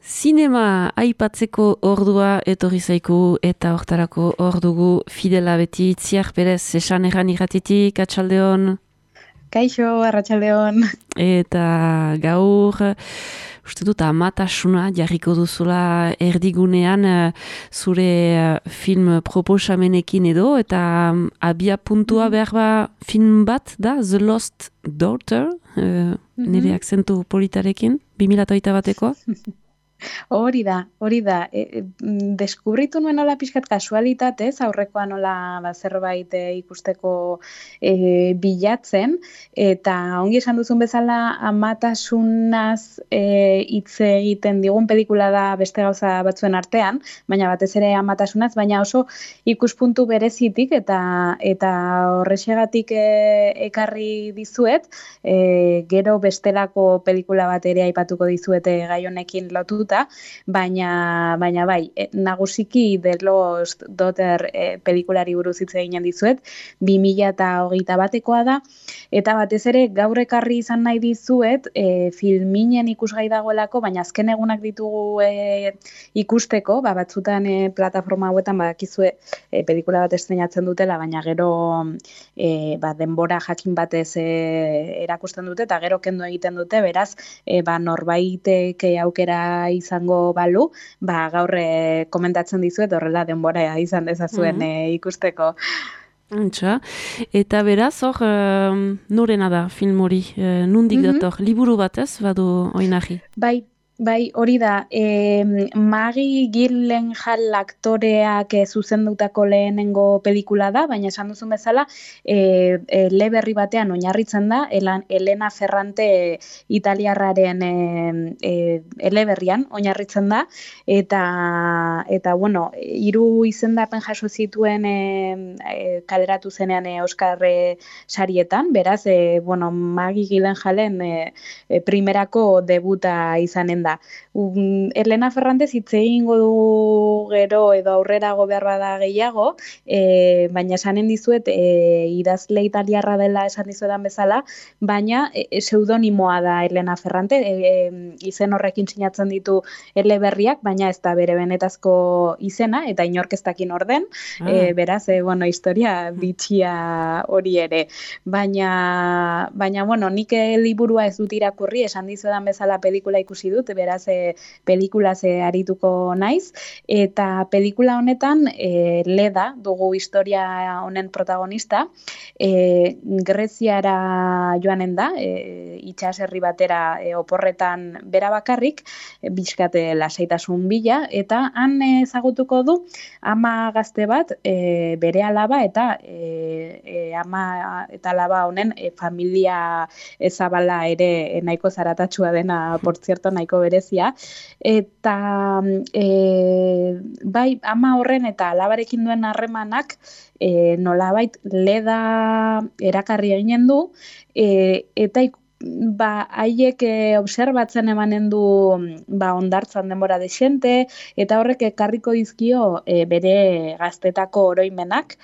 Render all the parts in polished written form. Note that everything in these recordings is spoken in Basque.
Zinema aipatzeko ordua etorri zaiku eta hortarako ordugu Fidela beti Itziar Perez esan erran irratitik, atxaldeon. Kaixo, arratsaldeon. Eta gaur, uste dut amatasuna jarriko duzula erdigunean zure film proposamenekin edo, eta abia puntua behar ba film bat da, The Lost Daughter, nire akzentu politarekin, 2008 bateko. Hori da. Deskubritu nuen nola pixkat kasualitatez, aurrekoa nola zerbait ikusteko bilatzen, eta ongi esan duzun bezala amatasunaz hitz egiten digun pelikula da beste gauza batzuen artean, baina batez ere amatasunaz, baina oso ikuspuntu berezitik eta horrexegatik ekarri dizuet, gero bestelako pelikula bat ere aipatuko dizuete gai honekin lotuta, baina bai, nagusiki The Lost Daughter pelikulari buruz hitz eginen dizuet, 2021 batekoa da, eta batez ere gaur ekarri izan nahi dizuet, filminen ikusgai dagoelako, baina azken egunak ditugu ikusteko, batzutan plataforma hauetan badakizue pelikula bat estreinatzen dutela, baina gero denbora jakin batez erakusten dute, eta gero kendu egiten dute, beraz, norbaitek aukera izango balu, gaur komentatzen dizuet horrela denbora izan dezazuen ikusteko. Antxa, eta beraz, hor, norena da film hori, nundik dator, liburu batez, badu oinarri? Bai, hori da, Maggie Gyllenhaal aktoreak zuzendutako lehenengo pelikula da, baina esan duzun bezala, eleberri batean oinarritzen da, Elena Ferrante italiarraren eleberrian oinarritzen da, eta bueno, 3 izendapen jaso zituen kaleratu zenean Oscar sarietan, beraz, Maggie Gyllenhaalen primerako debuta izanen da. Elena Ferrantez hitz egingo du gero edo aurrerago behar bada gehiago, baina esanen dizuet idazle italiarra dela esan dizuetan bezala, baina pseudonimoa da Elena Ferrante, izen horrekin sinatzen ditu eleberriak, baina ez da bere benetazko izena, eta inork ez dakin orden, beraz, historia bitxia hori ere. Baina nik liburua ez dut irakurri, esan dizuetan bezala pelikula ikusi dut, beraz pelikulaz arituko naiz, eta pelikula honetan Leda dugu historia honen protagonista, Greziara joanen da, itsaserri batera oporretan bera bakarrik, bizkate lasaitasun bila, eta han ezagutuko du ama gazte bat, bere alaba eta ama eta alaba honen familia ezabala ere nahiko zaratatsua dena, por cierto, nahiko berezia, eta bai, ama horren eta alabarekin duen harremanak nolabait Leda erakarri eginen du, eta haiek obserbatzen emanen du ondartzan denbora desente, eta horrek ekarriko dizkio bere gaztetako oroimenak,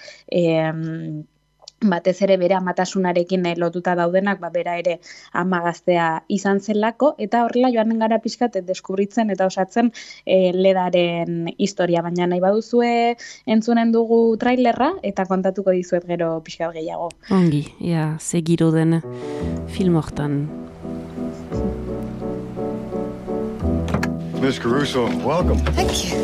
batez ere bere amatasunarekin lotuta daudenak, bera ere ama gaztea izan zelako, eta horrela joanen gara pixkat deskubritzen eta osatzen Ledaren historia, baina nahi baduzue entzunen dugu trailerra, eta kontatuko dizuet gero pixkat gehiago. Ongi, ze giro den film hortan. Ms. Caruso, welcome. Thank you.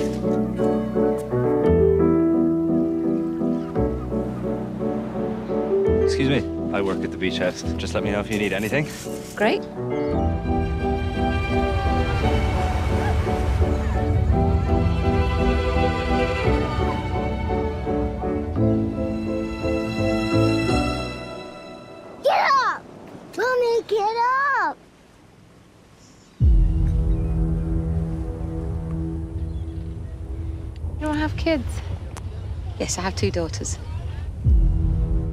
Excuse me, I work at the beach house. Just let me know if you need anything. Great. Get up! Mommy, get up! You don't have kids? Yes, I have 2 daughters.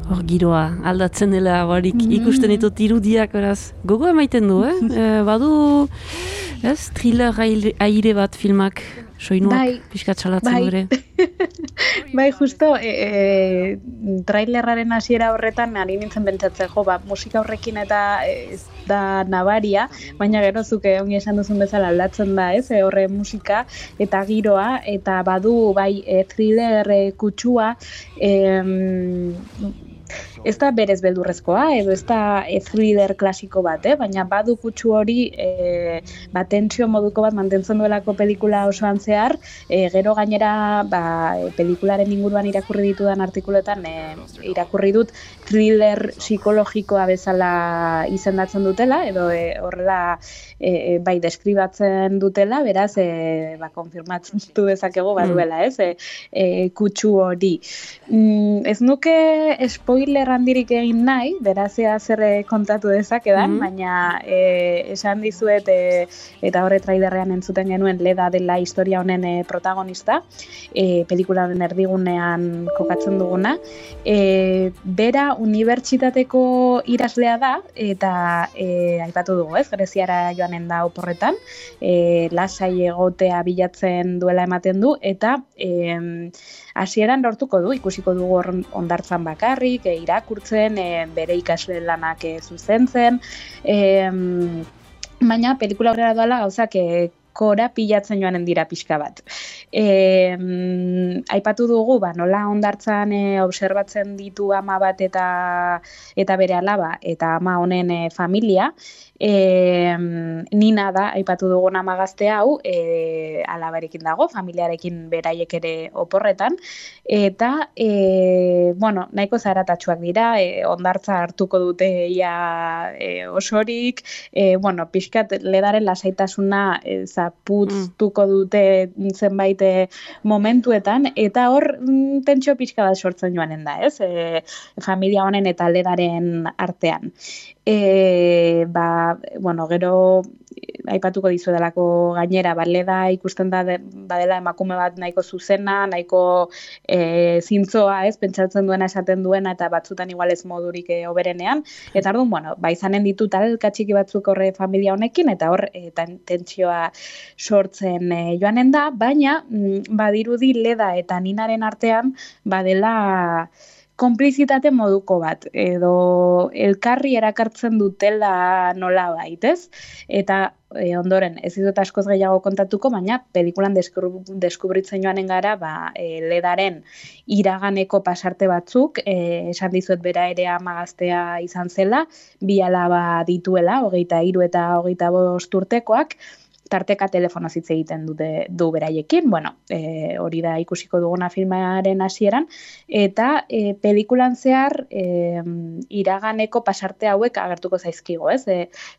Hor giroa, aldatzen dela barik ikusten ditut irudiak, beraz, gogo emaiten du, badu, thriller aire bat filmak, soinuak, pixkat salatzen gure. Bai, justo, trailerraren hasiera horretan ari nintzen pentsatzen, jo, musika horrekin eta ez da nabaria, baina gero zuke ongi esan duzun bezala aldatzen da, ez, horre musika eta giroa, eta badu, bai, thriller kutsua, ez da berez beldurrezkoa, edo ez da thriller klasiko bat, baina badu kutsu hori tensio moduko bat mantentzen duelako pelikula osoan zehar, gero gainera pelikularen inguruan irakurri ditudan artikuletan irakurri dut thriller psikologikoa bezala izendatzen dutela, edo horrela bai deskribatzen dutela, beraz konfirmatzen dezakegu baduela, kutsu hori. Ez nuke spoiler handirik egin nahi, beraz zer kontatu dezakedan, baina esan dizuet eta horre trailerrean entzuten genuen Leda dela historia honen protagonista, pelikularen erdigunean kokatzen duguna. Bera unibertsitateko iraslea da, eta aipatu dugu, Greziara joanen da oporretan, lasai egotea bilatzen duela ematen du, eta hasieran lortuko du, ikusiko dugu hondartzan bakarrik, irakurtzen, bere ikasle lanak zuzentzen, baina pelikula horrela doala gauzak kora pilatzen joanen dira pixka bat. Aipatu dugu, nola hondartzan obserbatzen ditu ama bat eta bere alaba, eta ama honen familia, Nina da, aipatu dugun ama gazte hau, alabarekin dago, familiarekin beraiek ere oporretan, eta, nahiko zaratatsuak dira, hondartza hartuko dute ia osorik, pixkat ledaren lasaitasuna zapuztuko dute zenbait momentuetan, eta hor tentsio pixka bat sortzen joanen da, familia honen eta ledaren artean. Gero aipatuko dizuedalako gainera, Leda ikusten da badela emakume bat nahiko zuzena, nahiko zintzoa, pentsatzen duena esaten duena, eta batzutan igual ez modurik hoberenean, eta orduan, izanen ditu talka txiki batzuk horre familia honekin, eta hor tentsioa sortzen joanen da, baina badirudi Leda eta Ninaren artean badela konplizitate moduko bat, edo elkarri erakartzen dutela nola baitez, eta ondoren, ez dut askoz gehiago kontatuko, baina pelikulan deskubritzen joanen gara, Ledaren iraganeko pasarte batzuk, esan dizuet bera ere ama gaztea izan zela, 2 alaba dituela, 23 eta 25 urtekoak, tarteka telefonoz hitz egiten du beraiekin, hori da ikusiko duguna filmaren hasieran, eta pelikulan zehar iraganeko pasarte hauek agertuko zaizkigo,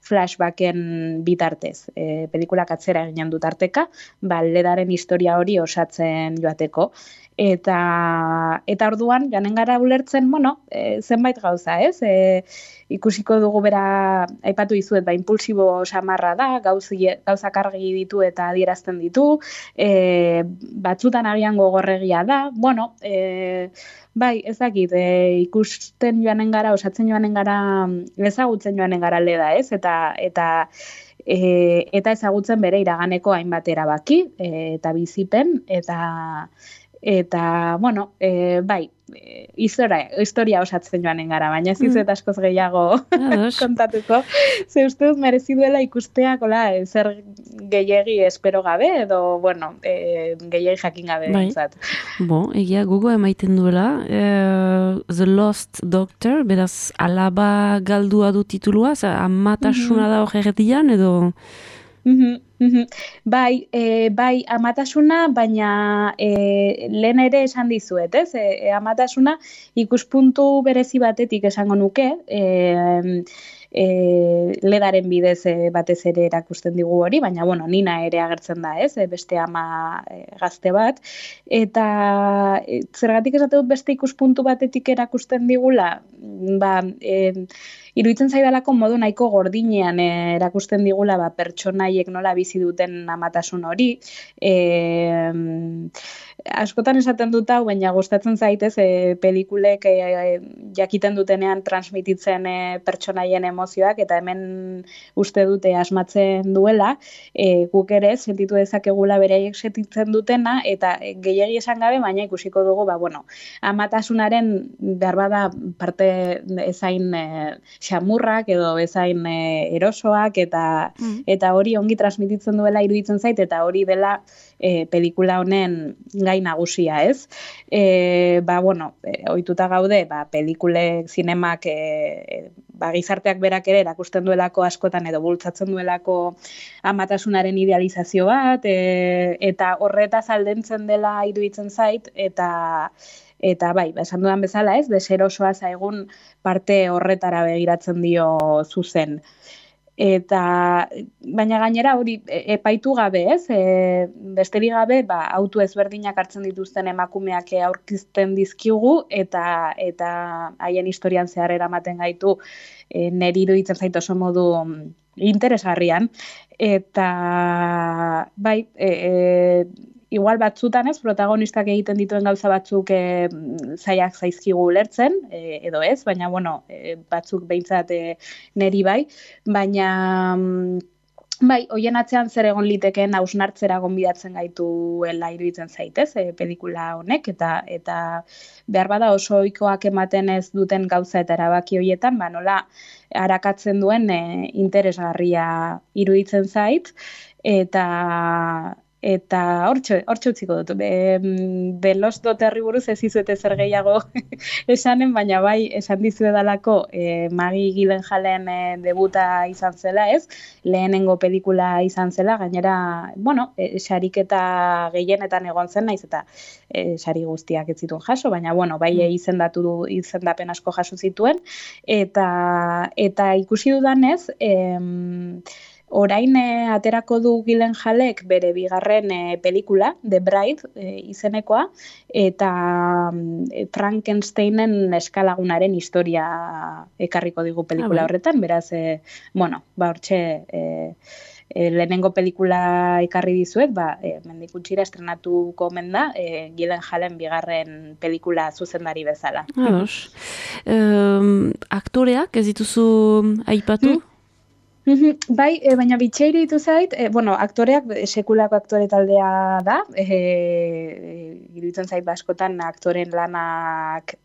flashbacken bitartez. Pelikulak atzera eginen du tarteka, Ledaren historia hori osatzen joateko. Eta orduan, janen gara ulertzen, zenbait gauza, ikusiko dugu bera, aipatu dizuet, impulsibo samarra da, gauzak argi ditu eta adierazten ditu, batzutan agian gogorregia da, ezakit, ikusten joanen gara, osatzen joanen gara, ezagutzen joanen gara Leda, eta ezagutzen bere iraganeko hainbat erabaki, eta bizipen, eta historia osatzen joanen gara, baina ez dizuet askoz gehiago kontatuko. Ze uste dut merezi duela ikusteak, zer gehiegi espero gabe, edo, gehiegi jakin gabe. Egia gogo emaiten duela, The Lost Doctor, beraz, alaba galdua du titulua, amatasuna da hor erdian, edo... Bai, amatasuna, baina lehen ere esan dizuet, amatasuna ikuspuntu berezi batetik esango nuke, Ledaren bidez batez ere erakusten digu hori, baina Nina ere agertzen da, beste ama gazte bat, eta zergatik esate dut beste ikuspuntu batetik erakusten digula, iruditzen zaidalako modu nahiko gordinean erakusten digula pertsonaiek nola bizi duten amatasun hori. Askotan esaten dut hau, baina gustatzen zaitez pelikulek jakiten dutenean transmititzen pertsonaien emozioak, eta hemen uste dute asmatzen duela, guk ere sentitu dezakegula beraiek sentitzen dutena, eta gehiegi esan gabe, baina ikusiko dugu, amatasunaren beharbada parte ezain xamurrak edo ezain erosoak, eta hori ongi transmititzen duela iruditzen zait, eta hori dela pelikula honen gai nagusia, ez? Ohituta gaude, pelikulek, zinemak, gizarteak berak ere erakusten duelako askotan edo bultzatzen duelako amatasunaren idealizazio bat, eta horretaz aldentzen dela iruditzen zait, eta bai, esan dudan bezala, ez, deserosoa zaigun parte horretara begiratzen dio zuzen. Baina gainera hori epaitu gabe, ez? Besterik gabe, auto ezberdinak hartzen dituzten emakumeak aurkizten dizkigu, eta haien historian zehar eramaten gaitu niri iruditzen zait oso modu interesgarrian. Eta bai, igual batzutan, ez, protagonistak egiten dituen gauza batzuk zailak zaizkigu ulertzen, edo ez, baina, batzuk behintzat neri bai, baina, bai, hoien atzean zer egon litekeen hausnartzera gonbidatzen gaituela iruditzen zaitez, pelikula honek, eta beharbada oso ohikoak ematen ez duten gauza eta erabaki horietan, nola arakatzen duen interesgarria iruditzen zait, eta hortxe utziko dut. The Lost Daughterri buruz ez izuete zer gehiago esanen, baina bai esan dizuedalako Maggie Gyllenhaalen debuta izan zela, ez? Lehenengo pelikula izan zela, gainera, sariketa gehienetan egon zen, naiz eta sari guztiak ez zituen jaso, baina bai izendapen asko jaso zituen, eta ikusi dudanez, orain aterako du Gyllenhaalek bere bigarren pelikula, The Bride izenekoa, eta Frankensteinen eskalagunaren historia ekarriko digu pelikula horretan, beraz, hortxe lehenengo pelikula ekarri dizuet, mendik gutxira estrenatuko omen da, Gyllenhaalen bigarren pelikula zuzendari bezala. Ados. Aktoreak ez dituzu aipatu? Bai, baina bitxeiri ditu zait, aktoreak sekulako aktore taldea da, iruditzen zait askotan aktoren lanak,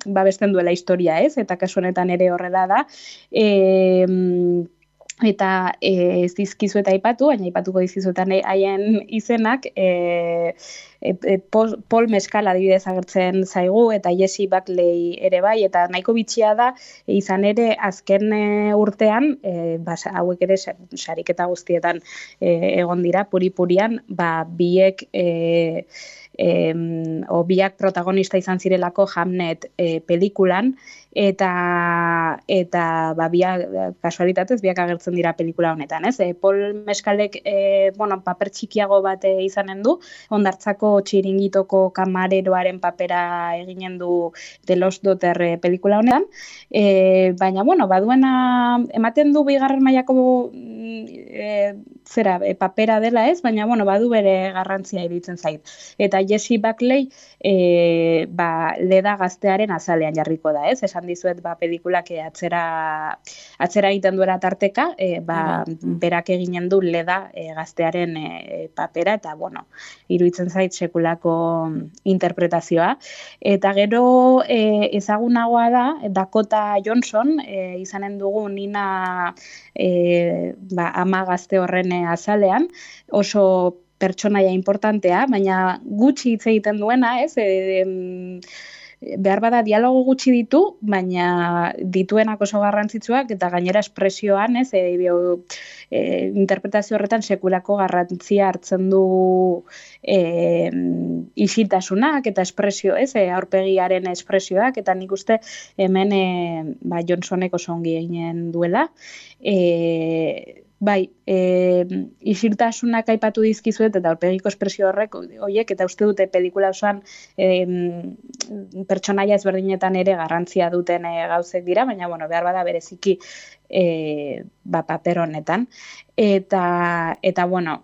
babesten duela historia, ez? Eta kasu honetan ere horrela da. Eta ez dizkizu eta aipatu, baina aipatuko dizkizuetan haien izenak, Paul Mescal adibidez agertzen zaigu, eta Jessie Buckley ere bai, eta nahiko bitxia da, izan ere azken urtean, hauek ere sariketa guztietan egon dira, puri-purian, biek biak protagonista izan zirelako Hamnet pelikulan, eta biak kasualitatez biak agertzen dira pelikula honetan, ez? Paul Mescalek paper txikiago bat izanen du, hondartzako txiringitoko kamareroaren papera eginen du The Lost Daughter pelikula honetan, baina baduena ematen du bigarren mailako papera dela, ez? Baina badu bere garrantzia iruditzen zait. Eta Jessie Buckley leda gaztearen azalean jarriko da, ez? Esan dizuet pelikulak atzera egiten duela tarteka, berak eginen du leda gaztearen papera, eta iruditzen zait sekulako interpretazioa. Eta gero ezagunagoa da Dakota Johnson, izanen dugu Nina ama gazte horren azalean, oso pertsonaia importantea, baina gutxi hitz egiten duena, ez? Behar bada dialogo gutxi ditu, baina dituenak oso garrantzitsuak, eta gainera espresioan, ez? Interpretazio horretan sekulako garrantzia hartzen du isiltasunak eta espresio, ez? Aurpegiaren espresioak, eta nik uste hemen Johnsonek oso ongi eginen duela. bai, isiltasunak aipatu dizkizuet eta aurpegiko espresio horiek, eta uste dute pelikula osoan pertsonaia ezberdinetan ere garrantzia duten gauzek dira, baina bueno, behar bada bereziki paper honetan. Eta bueno,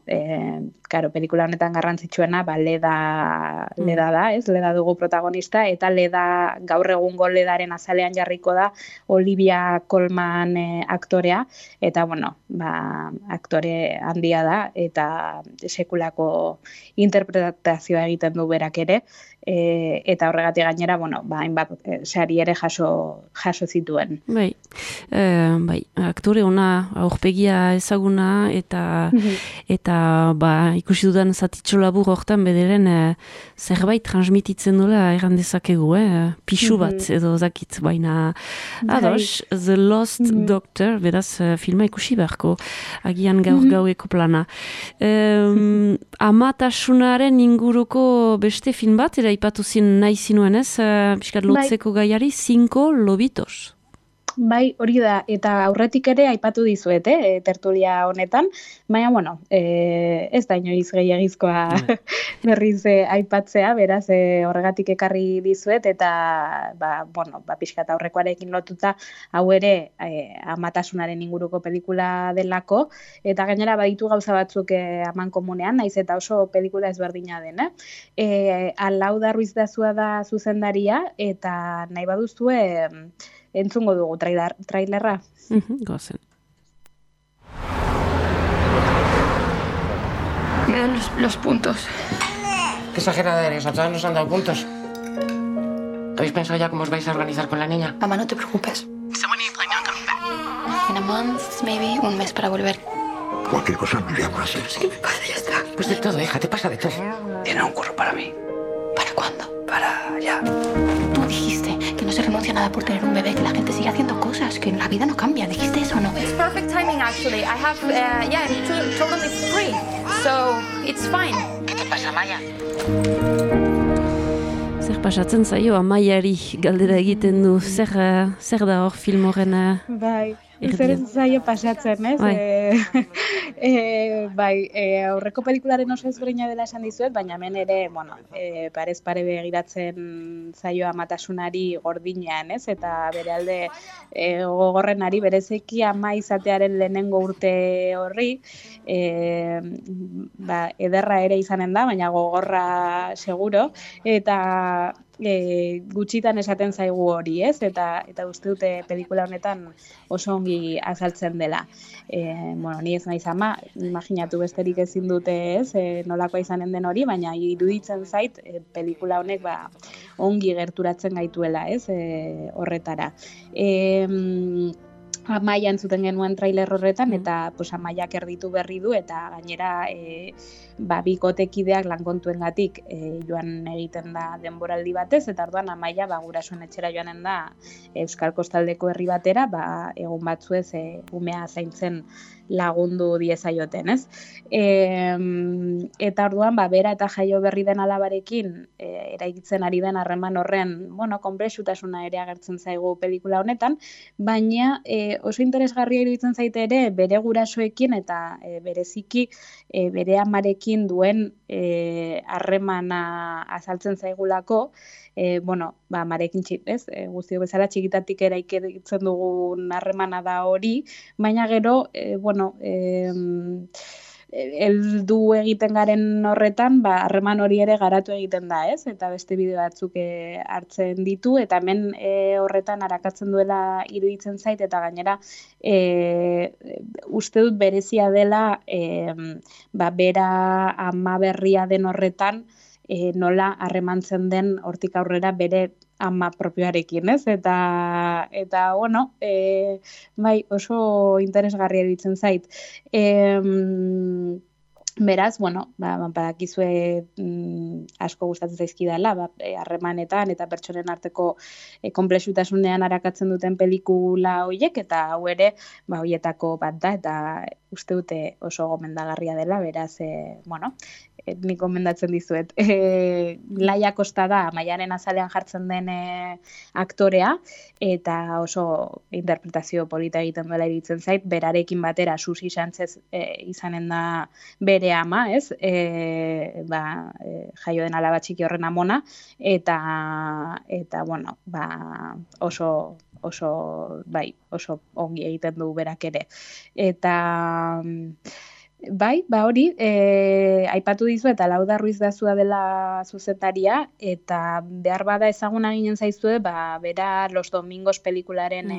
claro, pelikula honetan garrantzitsuena Leda da, ez? Leda dugu protagonista, eta Leda gaur egungo Ledaren azalean jarriko da Olivia Colman aktorea, eta bueno, aktore handia da, eta sekulako interpretazioa egiten du berak ere, eta horregatik gainera, bueno, hainbat sari ere jaso zituen. Bai, aktore ona, aurpegia ezaguna, eta ikusi dudan zatitxo labur hortan bederen zerbait transmititzen dula erran dezakegu, pixu bat edo zakit, baina ados, The Lost Doctor, beraz filma ikusi beharko, agian gaur-gaueko plana. Amatasunaren inguruko beste film bat, ipatu nahi zinuen ez, piskat lotzeko gaiari, 5 lobitos. Bai, hori da, eta aurretik ere aipatu dizuet, tertulia honetan, baina, bueno, ez da inoiz gehiagizkoa berriz aipatzea, beraz, horregatik ekarri dizuet, eta, pixkat aurrekoarekin lotuta, hau ere amatasunaren inguruko pelikula delako, eta gainera baditu gauza batzuk amankomunean, naiz eta oso pelikula ezberdina den, Alauda Ruiz Dazua da zuzendaria, eta nahi baduzue, entzungo dugu trailerra. Gozen. Me dan los puntos. Qué exagerada eres, a todas nos han dado puntos. ¿Habéis pensado ya cómo os vais a organizar con la niña? Mamá, no te preocupes. In a month, maybe, un mes para volver. Cualquier cosa me llamas. ¿Qué me pasa? Ya está. Pues de todo, hija, te pasa de todo. Tiene un curro para mí. ¿Para cuándo? Para ya. Tú dijiste que no se renuncia a nada por tener un bebé, que la gente sigue haciendo cosas, que la vida no cambia. ¿Dijiste eso o no? It's perfect timing, actually. I have, I'm totally free, so it's fine. ¿Qué te pasa, Maya? Zer pasatzen zaio Amaiari galdera egiten du, zer da hor film horren Bai, zer zaio pasatzen, ez? Aurreko pelikularen oso ezberdina dela esan dizuet, baina hemen ere, parez pare begiratzen zaio amatasunari gordinean, ez? Eta bere alde gogorrenari berezeki ama izatearen lehenengo urte horri, ederra ere izanen da, baina gogorra seguro, eta gutxitan esaten zaigu hori, ez? Eta uste dute pelikula honetan oso ongi azaltzen dela. Ni ez naiz ama, imaginatu besterik ezin dute, ez? Nolakoa izanen den hori, baina iruditzen zait pelikula honek ongi gerturatzen gaituela, ez? Horretara. Amaia entzuten genuen trailer horretan, eta Amaiak erditu berri du, eta gainera bikotekideak lankontuengatik joan egiten da denboraldi batez, eta orduan Amaia gurasoen etxera joanen da Euskal Kostaldeko herri batera, egun batzuez umea zaintzen lagundu diezaioten, ez? Eta orduan, bera eta jaio berri den alabarekin eraikitzen ari den harreman horren, konplexutasuna ere agertzen zaigu pelikula honetan, baina oso interesgarria iruditzen zaite ere bere gurasoekin eta bereziki bere amarekin duen harremana azaltzen zaigulako, amarekin ez? Guztio bezala txikitatik eraikitzen dugun harremana da hori, baina gero, heldu egiten garen horretan, harreman hori ere garatu egiten da, ez? Eta beste bide batzuk hartzen ditu, eta hemen horretan arakatzen duela iruditzen zait, eta gainera uste dut berezia dela bera ama berria den horretan, nola harremantzen den hortik aurrera bere ama propioarekin, ez? Eta oso interesgarria iruditzen zait. Beraz, badakizue asko gustatzen zaizkidala, harremanetan eta pertsonen arteko konplexutasunean arakatzen duten pelikula horiek, eta hau ere, horietako bat da, eta uste dute oso gomendagarria dela, beraz, nik gomendatzen dizuet. Laia Kosta da Maialen azalean jartzen den aktorea, eta oso interpretazio polita egiten duela iritzen zait, berarekin batera Susi Sánchez izanen da bere ama, ez? Jaio den alaba txiki horren amona, eta bueno, oso ongi egiten du berak ere. Eta hori, aipatu dizu eta Lauda Ruiz Dazua dela zuzentaria, eta behar bada ezaguna ginen zaizue, bera Los Domingos pelikularen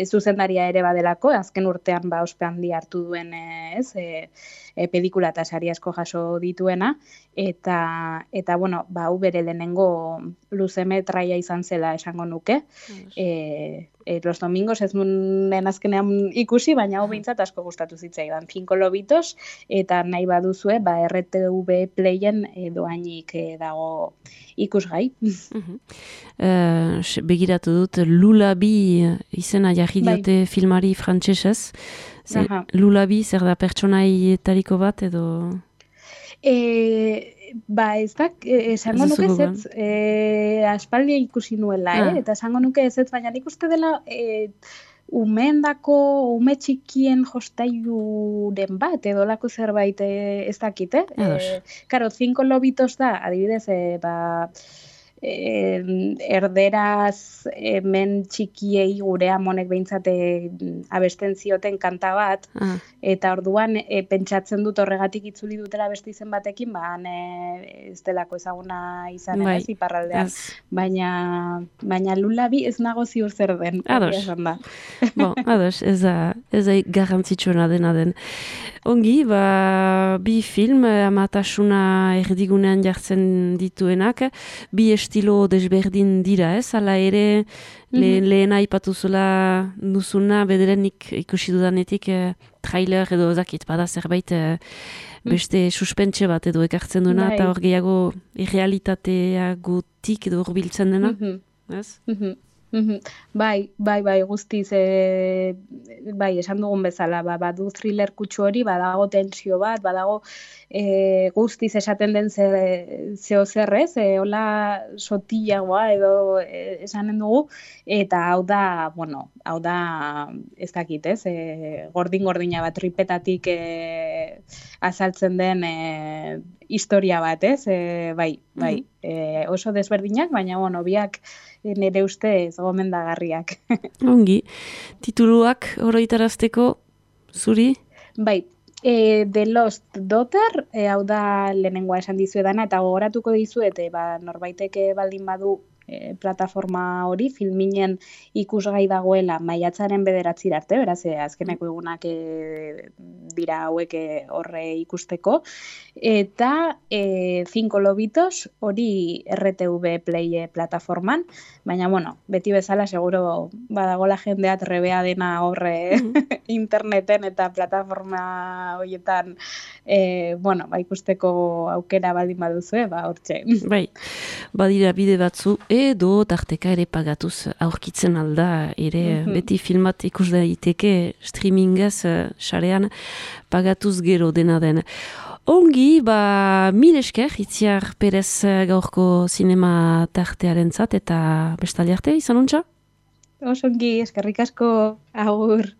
zuzendaria ere badelako, azken urtean ospe handi hartu duen pelikula eta sari asko jaso dituena, eta bueno, hau bere lehenengo luzemetraia izan zela esango nuke. Los Domingos ez nuen azkenean ikusi, baina hau behintzat asko gustatu zitzaidan. 5 lobitos, eta nahi baduzue, RTV Playen doainik dago ikusgai. Begiratu dut, Lulabi izena jarri diote filmari frantsesez. Lulabi zer da pertsonaitariko bat edo... Ez da, esango nuke ezetz, aspaldi ikusi nuela, eta esango nuke ezetz, baina nik uste dela ume txikien jostailuren bat, edo lako zerbait ez dakite. Karo, 5 lobitos da, adibidez, erderaz men txikiei gure amonek behintzate abesten zioten kanta bat, eta orduan pentsatzen dut horregatik itzuli dutela beste izen batekin, ez delako ezaguna izan ez iparraldean. Baina Lulabi ez nago ziur zer den. Ados, ez da garrantzitsuena dena den. Ongi, bi film amatasuna erdigunean jartzen dituenak, bi estilo desberdin dira, ez? Hala ere, lehen aipatu zula duzuna, bederenik ikusi dudanetik trailer edo zakit, bada zerbait beste suspentse bat edo ekartzen duena, eta hor gehiago irrealitateagotik edo hurbiltzen dena, ez? Bai, guztiz, esan dugun bezala, badu thriller kutsu hori, badago tensio bat, badago guztiz esaten den zeo zerrez, hola sotillagoa edo esanen dugu, eta hau da, ez dakit, ez, gordin-gordina bat, tripetatik azaltzen den historia bat, ez, oso desberdinak, baina, biak nire ustez gomendagarriak. Ongi, tituluak oroitarazteko zuri? Bai, The Lost Daughter, hau da lehenengoa esan dizuedana, eta gogoratuko dizuet, norbaiteke baldin badu plataforma hori, Filminen ikusgai dagoela maiatzaren 9 arte, beraz, azkeneko egunak dira hauek horre ikusteko, eta 5 lobitos hori RTV Play plataforman, baina, beti bezala seguro badagola jendea trebea dena horre interneten eta plataforma horietan ikusteko aukera baldin baduzue, hortxe. Bai, badira bide batzu, edo tarteka ere pagatuz aurkitzen alda, ere beti filmat ikus daiteke streamingaz sarean pagatuz gero dena den. Ongi, mil esker, Itziar Perez gaurko zinema tartearen zat, eta bestali arte, izan ontsa? Osongi, eskerrik asko, agur.